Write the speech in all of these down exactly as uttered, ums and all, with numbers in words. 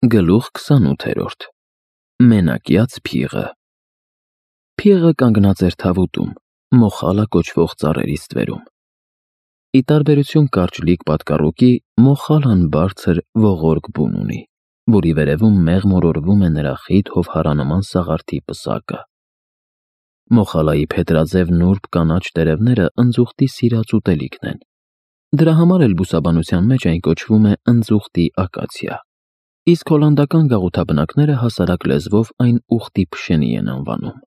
Գլուխ քսանութերորդ Մենակյաց փիղը Փիղը կանգնած էր թավուտում, մոխալա կոչվող ծառերի ստվերում։ Ի տարբերություն կարճլիկ պատկառուկի, մոխալան բարձր ողորկ բուն ունի, որի վերևում մեղմորորվում է նրա խիտ հովհարանման սաղարթի պսակը։ Մոխալայի փետրաձև նուրբ կանաչ տերևները ընձուղտի սիրած ուտելիքն են։ Դրա համար էլ բուսաբանության մեջ այն կոչվում է ընձուղտի ակացիա, իսկ հոլանդական գաղութաբնակները հասարակ լեզվով այն ուղտի փշենի են անվանում։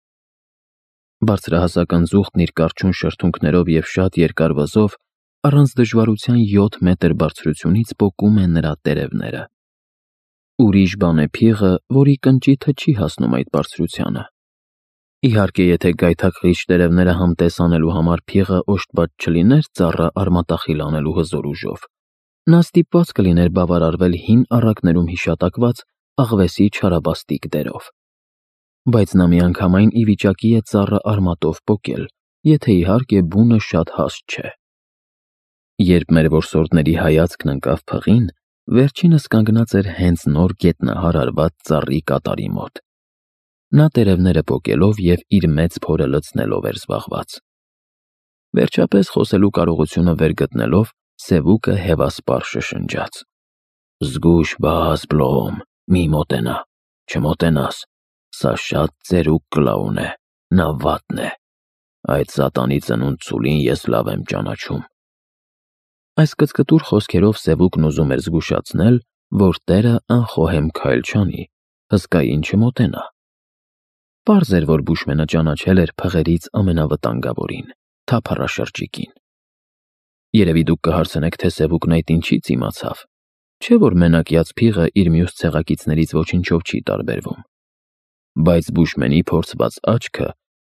Բարձրահասակ ընձուղտն իր կառչուն շրթունքներով և շատ երկար վզով առանց դժվարության յոթ մետր բարձրությունից պոկում է նրա տերևները։ Ուրիշ բան է փիղը, որի կնճիթը չի հասնում այդ բարձրությանը։ Իհարկե, եթե գայթակղիչ տերևները համտես անելու համար փիղը օժտված չլիներ ծառը արմատախիլ անելու հզոր ուժով, նա ստիպված կլիներ բավարարվել հին առակներում հիշատակված աղվեսի չարաբաստիկ դերով։ Բայց նա միանգամայն ի վիճակի է ծառը արմատով պոկել, եթե իհարկե բունը շատ հաստ չէ։ Երբ մեր որսորդների հայացքն ընկավ փղին, վերջինս կանգնած էր հենց նոր գետնահար արված ծառի կատարի մոտ։ Նա տերևները պոկելով և իր մեծ փորը լցնելով էր զբաղված։ Վերջապես խոսելու կարողությունը վեր գտնելով, սևուկը հևասպառ շշնջաց. «Զգույշ բաս, Բլոում, մի մոտենա, չմոտենաս, սա շատ ծերուկ կլաուն է, նա վատն է, այդ սատանի ծնունդ ցուլին ես լավ եմ ճանաչում»։ Այս կծկտուր խոսքերով սևուկն ուզում էր զգուշացնել, որ տերը անխոհեմ քայլ չանի, հսկային չմոտենա։ Պարզ էր, որ բուշմենը ճանաչել էր փղերից ամենավտանգավորին՝ թափառաշրջիկին։ Երևի դուք կհարցնեք, թե սևուկն այդ ինչից իմացավ, չէ՞ որ մենակյաց փիղը իր մյուս ցեղակիցներից ոչնչով չի տարբերվում։ Բայց բուշմենի փորձված աչքը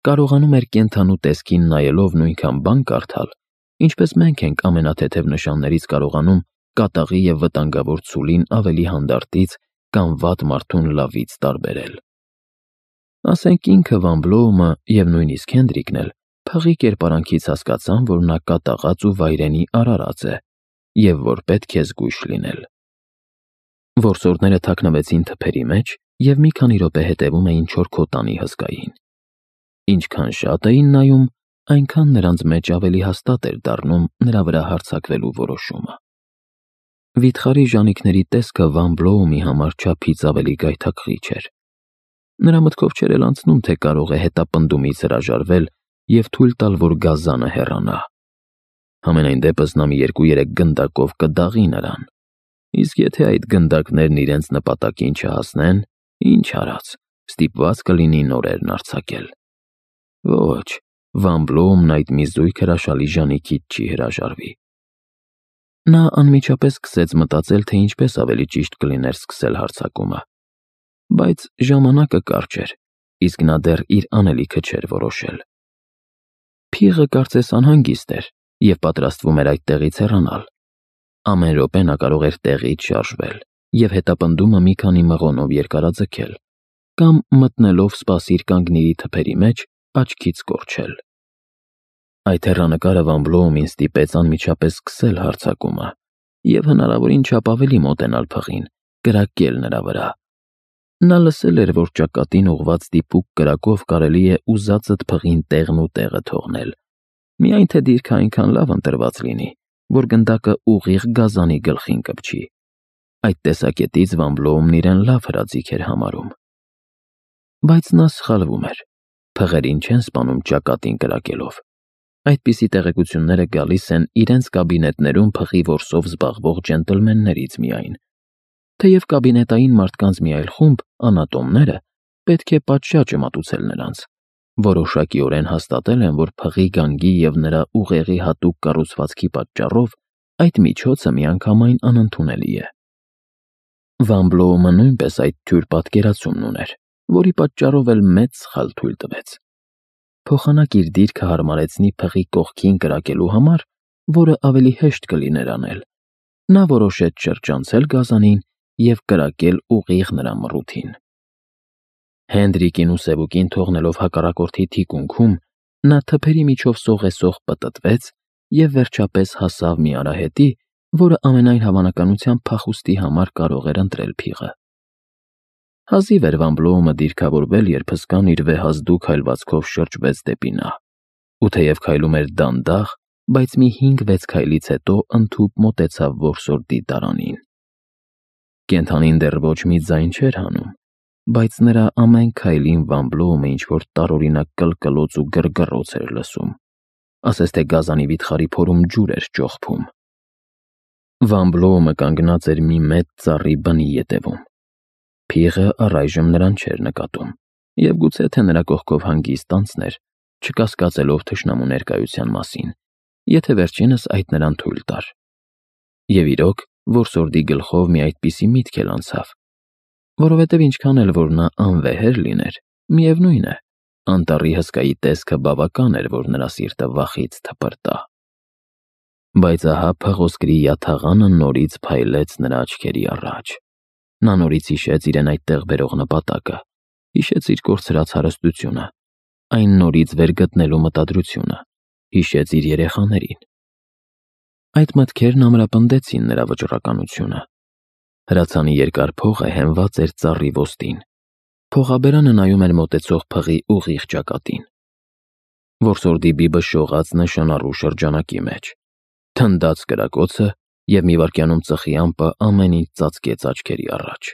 կարողանում էր կենդանու տեսքին նայելով նույնքան բան կարդալ, ինչպես մենք ենք ամենաթեթև նշաններից կարողանում կատաղի և վտանգավոր ցուլին ավելի հանդարտից կամ վատ մարդուն լավից տարբերել։ Ասենք ինքը Վան Բլոումը և նույնիսկ Հենդրիկն էլ փղի կերպարանքից հասկացան, որ նա կատաղած ու վայրենի արարած է և որ պետք է զգույշ լինել։ Որսորդները թաքնվեցին թփերի մեջ և մի քանի րոպե հետևում էին չորքոտանի հսկային։ Ինչքան շատ էին նայում, այնքան նրանց մեջ ավելի հաստատ էր դառնում նրա վրա հարձակվելու որոշումը։ Վիթխարի ժանիքների տեսքը Վան Բլոումի համար չափից ավելի գայթակղիչ էր։ Նրա մտքով չէր էլ անցնում, թե կարող է հետապնդումից հրաժարվել և թույլ տալ, որ գազանը հեռանա։ Համենայն դեպս նա մի երկու-երեք գնդակով կդաղի նրան, իսկ եթե այդ գնդակներն իրենց նպատակին չհասնեն, ինչ արած, ստիպված կլինի նորերն արձակել։ Ոչ, Վան Բլոումն այդ մի զույգ հրաշալի ժանիքից չի հրաժարվի։ Նա անմիջապես սկսեց մտածել, թե ինչպես ավելի ճիշտ կլիներ սկսել հարձակումը։ Բայց ժամանակը կարճ էր, իսկ նա դեռ իր անելիքը չէր որոշել։ Փիղը կարծես անհանգիստ էր և պատրաստվում էր այդտեղից հեռանալ։ Ամեն րոպե նա կարող էր տեղից շարժվել և հետապնդումը մի քանի մղոնով երկարաձգել կամ մտնելով սպասիր կանգնիրի թփերի մեջ աչքից կորչել։ Այդ հեռանկարը Վան Բլոումին ստիպեց անմիջապես սկսել հարձակումը և հնարավորին չափ ավելի մոտենալ փղին, կրակել նրա վրա։ Նա լսել էր, որ ճակատին ուղղված դիպուկ կրակով կարելի է ուզածդ փղին տեղն ու տեղը թողնել, միայն թե դիրքը այնքան լավ ընտրված լինի, որ գնդակը ուղիղ գազանի գլխին կպչի։ Այդ տեսակետից Վան Բլոումն իրեն լավ հրաձիգ էր համարում։ Բայց նա սխալվում էր։ Փղերին չեն սպանում ճակատին կրակելով։ Այդպիսի տեղեկությունները գալիս են իրենց կաբինետներում փղի որսով զբաղվող ջենտլմեններից միայն, թեև կաբինետային մարդկանց մի այլ խումբ, անատոմները, պետք է պատշաճը մատուցել նրանց, որոշակիորեն հաստատել են, որ փղի գանգի և նրա ուղեղի հատուկ կառուցվածքի պատճառով այդ միջոցը միանգամայն անընդունելի է։ Վան Բլոումը նույնպես այդ թյուր պատկերացումն ուներ, որի պատճառով էլ մեծ սխալ թույլ տվեց։ Փոխանակ իր դիրքը հարմարեցնի փղի կողքին կրակելու համար, որը ավելի հեշտ կլիներ անել, նա որոշեց շրջանցել գազանին և կրակել ուղիղ նրա մռութին։ Հենդրիկին ու սևուկին թողնելով հակառակորդի թիկունքում, նա թփերի միջով սողեսող պտտվեց և վերջապես հասավ մի արահետի, որը ամենայն հավանականությամբ փախուստի համար կարող էր ընտրել փիղը։ Հազիվ էր Վան Բլոումը դիրքավորվել, երբ հսկան իր վեհազդու քայլվածքով շրջվեց դեպի նա, ու թեև քայլում էր դանդաղ, բայց մի հինգ-վեց քայլից հետո ընդհուպ մոտեցավ որսորդի դարանին։ Կենդանին դեռ ոչ մի ձայն չէր հանում, բայց նրա ամեն քայլին Վան Բլոումը ինչ-որ տարօրինակ կլկլոց ու գրգռոց էր լսում, ասես թե գազանի վիթխարի փորում ջուր էր ճոխփում։ Վան Բլոումը կանգնած էր մի մեծ ծառի բնի ետևում։ Փիղը առայժմ նրան չէր նկատում, և գուցե թե նրա կողքով հանգիստ անցներ, չկասկածելով թշնամու ներկայության մասին, եթե վերջինս այդ նրան թույլ տար։ Եվ իրոք, որսորդի գլխով մի այդպիսի միտք էլ անցավ, որովհետև ինչքան էլ որ նա անվեհեր լիներ, միևնույն է, անտառի հսկայի տեսքը բավական էր, որ նրա սիրտը վախից թպրտա։ Բայց ահա փղոսկրի յաթաղանը նորից փայլեց նրա աչքերի առաջ։ Նա նորից հիշեց իրեն այդտեղ բերող նպատակը, հիշեց իր կորցրած հարստությունը, այն նորից վերգտնելու մտադրությունը, հիշեց իր երեխաներին։ Այդ մտքերն ամրապնդեցին նրա վճռականությունը։ Հրացանի երկար փողը հենված էր ծառի ոստին։ Փողաբերանը նայում էր մոտեցող փղի ուղիղ ճակատին։ Որսորդի բիբը շողաց նշանառու շրջանակի մեջ, թնդաց կրակոցը, և մի վայրկյանում ծխի ամպը ամեն ինչ ծածկեց աչքերի առաջ։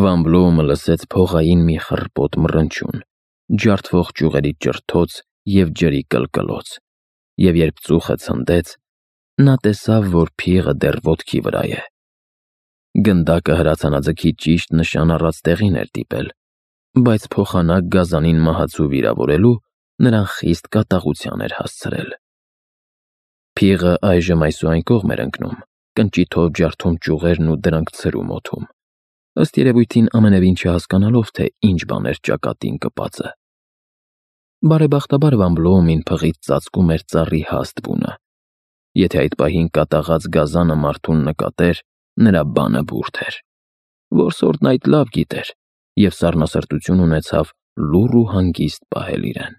Վան Բլոումը լսեց փողային մի խռպոտ մռնչյուն, ջարդվող ճյուղերի ճրթոց և ջրի կլկլոց, և երբ ծուխը ցնդեց, նա տեսավ, որ փիղը դեռ ոտքի վրա է։ Գնդակը հրացանաձգի ճիշտ նշան առած տեղին էր դիպել, բայց փոխանակ գազանին մահացու վիրավորելու նրան խիստ կատաղության էր հասցրել։ Փիղը այժմ այսուայն կողմ էր ընկնում, կնճիթով ջարդում ճյուղերն ու դրանք ցրում օդում, ըստ երևույթին ամենևին չհասկանալով, թե ինչ բան էր ճակատին կպածը։ Բարեբախտաբար Վան Բլոումին փղից ծածկում էր ծառի հաստ բունը։ Եթե այդ պահին կատաղած գազանը մարդուն նկատեր, նրա բանը բուրդ էր։ Որսորդն այդ լավ գիտեր և սառնասրտություն ունեցավ լուռ ու հանգիստ պահել իրեն։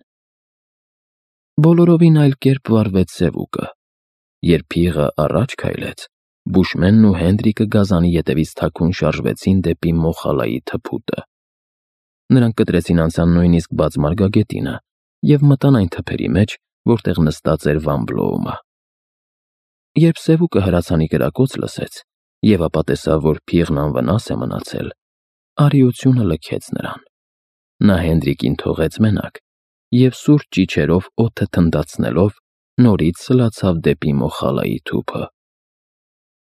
Բոլորովին այլ կերպ վարվեց Սևուկը։ Երբ փիղը առաջ քայլեց, Բուշմենն ու Հենդրիկը գազանի ետևից թաքուն շարժվեցին դեպի Մոխալայի թփուտը։ Նրանք կտրեցին անցան նույնիսկ բաց մարգագետինը և մտան այն թփերի մեջ, որտեղ նստած էր Վան Բլոումը։ Երբ Սևուկը հրացանի կրակոց լսեց և ապա տեսավ, որ փիղն անվնաս է մնացել, արիությունը լքեց նրան։ Նա Հենդրիկին թողեց մենակ և սուր ճիչերով օդը թնդացնելով նորից սլացավ դեպի Մոխալայի թուփը։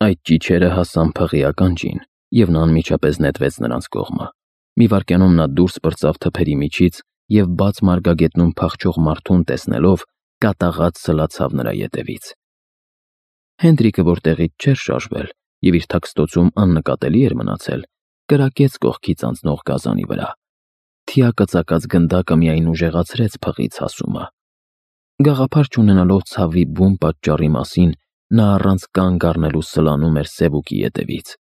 Այդ ճիչերը հասան փղի ականջին, և նա անմիջապես նետվեց նրանց կողմը։ Մի վայրկյանում նա դուրս պրծավ թփերի միջից և բաց մարգագետնում փախչող մարդուն տեսնելով կատաղած սլացավ նրա ետևից։ Հենդրիկը, որ տեղից չէր շարժվել և իր թաքստոցում աննկատելի էր մնացել, կրակեց կողքից անցնող գազանի վրա։ Թիակը ծակած գնդակը միայն ուժեղացրեց փղից հասումը։ Գաղափար չունենալով ցավի բուն պատճառի մասին, նա առանց կանգ առնելու սլանում էր Սևուկի ետևից,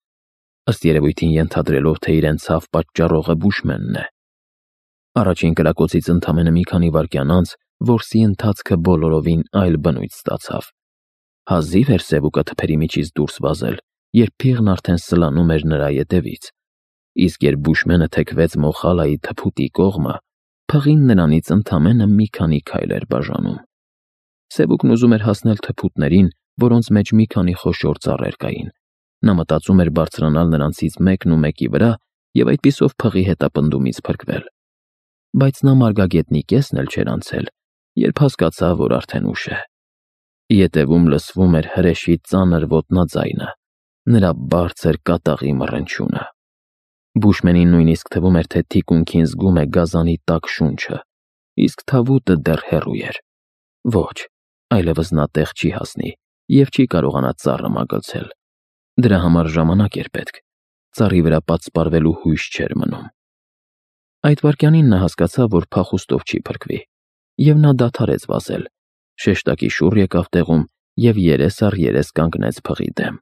ըստ երևույթին ենթադրելով, թե իրեն ցավ պատճառողը Բուշմենն է։ Առաջին կրակոցից ընդամենը մի քանի վայրկյան անց որսի ընթացքը բոլորովին այլ բնույթ ստացավ։ Հազիվ էր Սևուկը թփերի միջից դուրս վազել, երբ փիղն արդեն սլանում էր նրա ետևից, իսկ երբ Բուշմենը թեքվեց Մոխալայի թփուտի կողմը, փղին նրանից ընդամենը մի քանի քայլ էր բաժանում։ Սևուկն ուզում էր հասնել թփուտներին, որոնց մեջ մի քանի խոշոր ծառեր կային։ Նա մտածում էր բարձրանալ նրանցից մեկն ու մեկի վրա և այդպիսով փղի հետապնդումից փրկվել։ Բայց նա մարգագետնի կեսն էլ չէր անցել, երբ հասկացավ, որ արդեն ուշ է։ Ետևում լսվում էր հրեշի ծանր ոտնաձայնը, նրա բարձր կատաղի մռնչյունը։ Բուշմենին նույնիսկ թվում էր, թե թիկունքին զգում է գազանի տաք շունչը, իսկ թավուտը դեռ հեռու էր։ Ոչ, այլևս նա տեղ չի հասնի և չի կարողանա ծառը մագլցել։ Դրա համար ժամանակ էր պետք, ծառի վրա պատսպարվելու հույս չէր մնում։ Այդ վայրկյանին նա հասկացավ, որ փախուստով չի փրկվի, և նա դադարեց վազել, շեշտակի շուռ եկավ տեղում և երես առ երես կանգնեց փղի դեմ։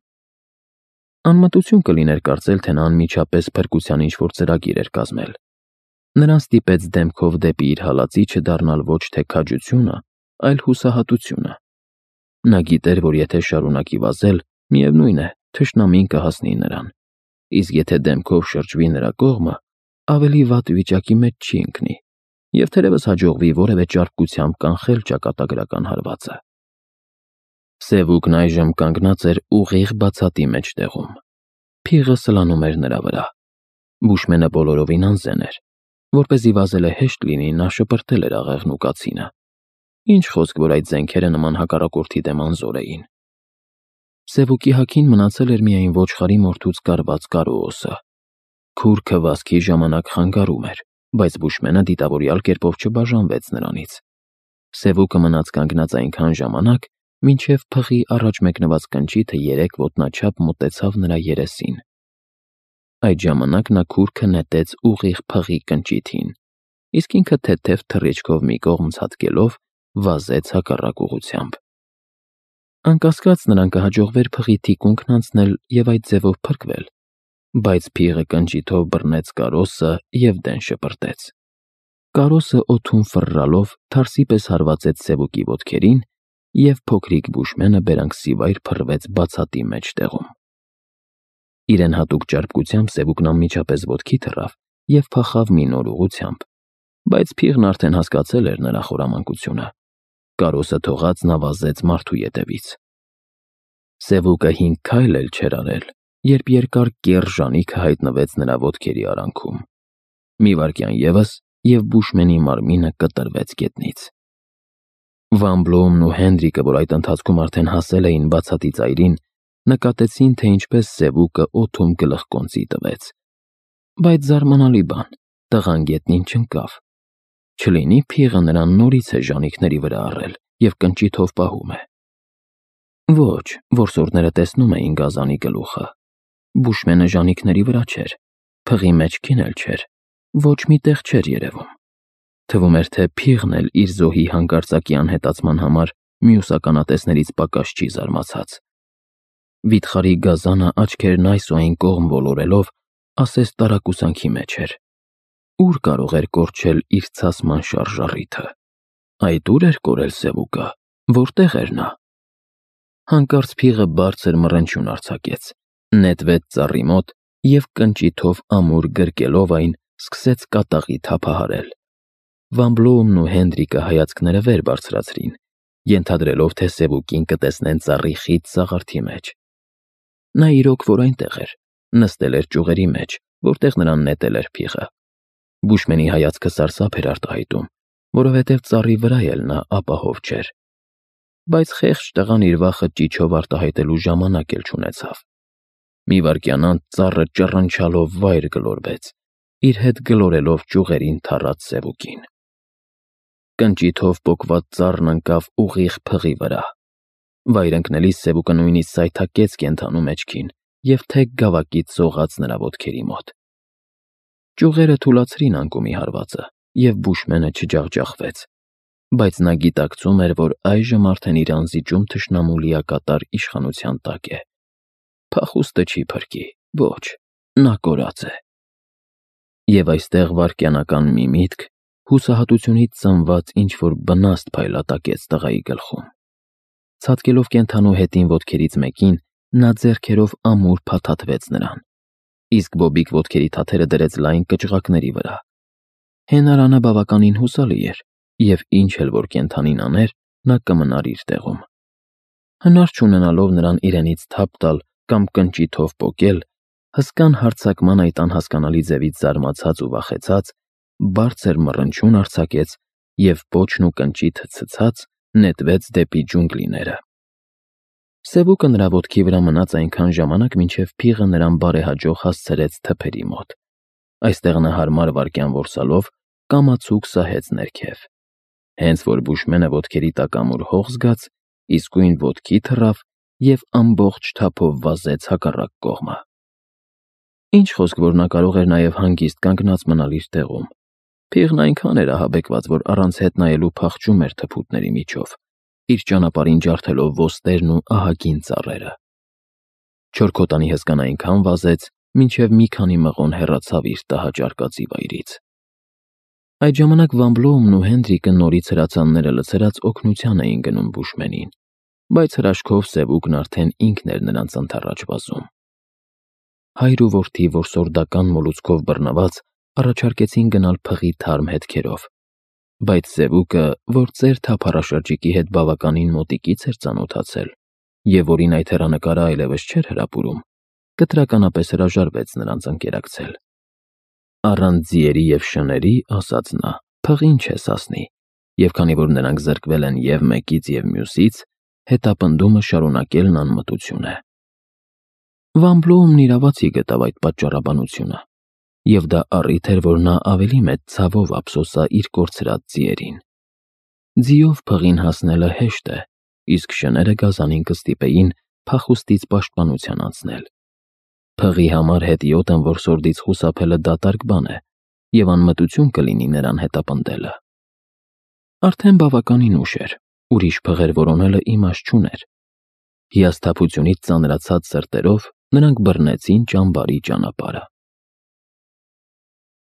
Անմտություն կլիներ կարծել, թե նա անմիջապես փրկության ինչ-որ ծրագիր էր կազմել։ Նրան ստիպեց դեմքով դեպի իր հալածի չդառնալ ոչ թե քաջությունը, այլ հուսահատությունը։ Նա գիտեր, որ եթե շարունակի վազել, միևնույն է, թշնամին կհասնի նրան, իսկ եթե դեմքով շրջվի նրա կողմը, ավելի վատ վիճակի մեջ չի ընկնի և թերևս հաջողվի որևէ ճարպկությամբ կանխել ճակատագրական հարվածը։ Սևուկն այժմ կանգնած էր ուղիղ բացատի մեջտեղում։ Փիղը սլանում էր նրա վրա։ Բուշմենը բոլորովին անզեն էր։ Որպեսզի վազելը հեշտ լինի, նա շպրտել էր աղեղն ու կացինը։ Ինչ խոսք, որ այդ զենքերը նման հակառակորդի դեմ անզոր էին։ Սևուկի հագին մնացել էր միայն ոչխարի մորթուց կարված կարոոսը։ Քուրքը վազքի ժամանակ խանգարում էր, բայց Բուշմենը դիտավորյալ կերպով չբաժանվեց նրանից։ Սևուկը մնաց կանգնած այնքան ժամանակ, մինչև փղի առաջ մեկնված կնճիթը երեք ոտնաչափ մոտեցավ նրա երեսին։ Այդ ժամանակ նա քուրքը նետեց ուղիղ փղի կնճիթին, իսկ ինքը թեթև թռիչքով մի կողմ ցատկելով վազեց հակառակ ուղղությամբ։ Անկասկած նրան կհաջողվեր փղի թիկունքն անցնել և այդ ձևով փրկվել, բայց փիղը կնճիթով բռնեց կարոսը և դեն շպրտեց։ Կարոսը օդում ֆռռալով թարսի պես հարվածեց Սևուկի ոտքերին, և փոքրիկ Բուշմենը բերանքսիվայր փռվեց բացատի մեջտեղում։ Իրեն հատուկ ճարպկությամբ Սևուկն անմիջապես ոտքի թռավ և փախավ մի նոր ուղղությամբ, բայց փիղն արդեն հասկացել էր նրա խորամանկությունը։ Կարոսը թողած նա վազեց մարդու ետևից։ Սևուկը հինգ քայլ էլ չէր արել, երբ երկար կեռ ժանիքը հայտնվեց նրա ոտքերի արանքում։ Մի վայրկյան ևս, և Բուշմենի մարմինը կտրվեց գետնից։ Վան Բլոումն ու Հենդրիկը, որ այդ ընթացքում արդեն հասել էին բացատի ծայրին, նկատեցին, թե ինչպես Սևուկը օդում գլխկոնծի տվեց։ Բայց զարմանալի բան, տղան գետնին չընկավ։ Չլինի փիղը նրան նորից է ժանիքների վրա առել և կնճիթով պահում է։ Ոչ, որսորդները տեսնում էին գազանի գլուխը։ Բուշմենը ժանիքների վրա չէր, փղի մեջքին էլ չէր, ոչ մի տեղ չէր երևում։ Թվում էր, թե փիղն էլ իր զոհի հանկարծակի անհետացման համար մյուս ականատեսներից պակաս չի զարմացած։ Վիթխարի գազանը աչքերն այս ու այն կողմ ոլորելով, ասես տարակուսանքի մեջ էր։ Ուր կարող էր կորչել իր ցասման շարժառիթը։ Այդ ուր էր կորել Սևուկը, որտեղ էր նա։ Հանկարծ փիղը բարձր մռնչյուն արձակեց, նետվեց ծառի մոտ և կնճիթով ամուր գրկելով այն, սկսեց կատաղի թափահարել։ Վան Բլոումն ու Հենդրիկը հայացքները վեր բարձրացրին, ենթադրելով, թե Սևուկին կտեսնեն ծառի խիտ սաղարթի մեջ։ Նա իրոք որ այնտեղ էր, նստել էր ճյուղերի մեջ, որտեղ նրան նետել էր փիղը։ Բուշմենի հայացքը սարսափ էր արտահայտում, որովհետև ծառի վրա էլ նա ապահով չէր։ Բայց խեղճ տղան իր վախը ճիչով արտահայտելու ժամանակ էլ չունեցավ։ Մի վայրկյան անց ծառը ճռնչալով վայր գլորվեց, իր հետ գլորելով ճյուղերին թռած Սևուկին։ Կնճիթով պոկված ծառն ընկավ ուղիղ փղի վրա։ Վայր ընկնելիս Սևուկը նույնիսկ սայթաքեց կենդանու մեջքին և թեք գավակից սողաց նրա ոտքերի մոտ։ Ճյուղերը թուլացրին անկումի հարվածը, և Բուշմենը չջախջախվեց, բայց նա գիտակցում էր, որ այժմ արդեն իր անզիջում թշնամու լիակատար իշխանության տակ է։ Փախուստը չի փրկի, ոչ, նա կորած է։ Եվ այստեղ վայրկենական մի միտք, հուսահատությունից ծնված ինչ-որ բնաստ փայլատակեց տղայի գլխում։ Ցատկելով կենդանու հետին ոտքերից մեկին, նա ձեռքերով ամուր փաթաթվեց նրան, իսկ բոբիկ ոտքերի թաթերը դրեց լայն կճղակների վրա։ Հենարանը բավականին հուսալի էր, և ինչ էլ որ կենդանին աներ, նա կմնար իր տեղում։ Հնար չունենալով նրան իրենից թափ տալ կամ կնճիթով պոկել, հսկան հարձակման այդ անհասկանալի ձևից զարմացած ու վախեցած, բարձր մռնչյուն արձակեց և պոչն ու կնճիթը ցցած նետվեց դեպի ջունգլիները։ Սևուկը նրա ոտքի վրա մնաց այնքան ժամանակ, մինչև փիղը նրան բարեհաջող հասցրեց թփերի մոտ։ Այստեղ նա հարմար վայրկյան որսալով կամացուկ սահեց ներքև։ Հենց որ Բուշմենը ոտքերի տակ ամուր հող զգաց, իսկույն ոտքի թռավ և ամբողջ թափով վազեց հակառակ կողմը։ Ինչ խոսք, որ նա կարող էր նաև հանգիստ կանգնած մնալ իր տեղում։ Փիղն այնքան էր ահաբեկված, որ առանց հետ նայելու փախչում էր թփուտների միջով, իր ճանապարհին ջարդելով ոստերն ու ահագին ծառերը։ Չորքոտանի հսկան այնքան վազեց, մինչև մի քանի մղոն հեռացավ իր տհաճ արկածի վայրից։ Այդ ժամանակ Վան Բլոումն ու Հենդրիկը նորից հրացանները լցրած օգնության էին գնում Բուշմենին, բայց հրաշքով Սևուկն արդեն ինքն էր նրանց ընդառաջ վազում։ հայր ու որդի որսորդական մոլուցքով բռնված առաջարկեցին գնալ փղի թարմ հետքերով, բայց Զևուկը, որ ծեր թափառաշրջիկի հետ բավականին մոտիկից էր ծանոթացել և որին այդ հեռանկարը այլևս չէր հրապուրում, կտրականապես հրաժարվեց նրանց ընկերակցել։ Առանց ձիերի և շների, ասաց նա, փղին չես հասնի, և քանի որ նրանք զրկվել են և մեկից, և մյուսից, հետապնդումը շարունակելն անմտություն է։ Վամբլոումն իրավացի գտավ այդ պատճառաբանությունը, և դա առիթ էր, որ նա ավելի մեծ ցավով ափսոսա իր կորցրած ձիերին։ Ձիով փղին հասնելը հեշտ է, իսկ շները գազանին կստիպեին փախուստից պաշտպանության անցնել։ Փղի համար հետիոտն որսորդից խուսափելը դատարկ բան է, և անմտություն կլինի նրան հետապնդելը։ Արդեն բավականին ուշ էր, ուրիշ փղեր որոնելը իմաստ չուներ։ Հիասթափությունից ծանրացած սրտերով նրանք բռնեցին ճամբարի ճանապարհը։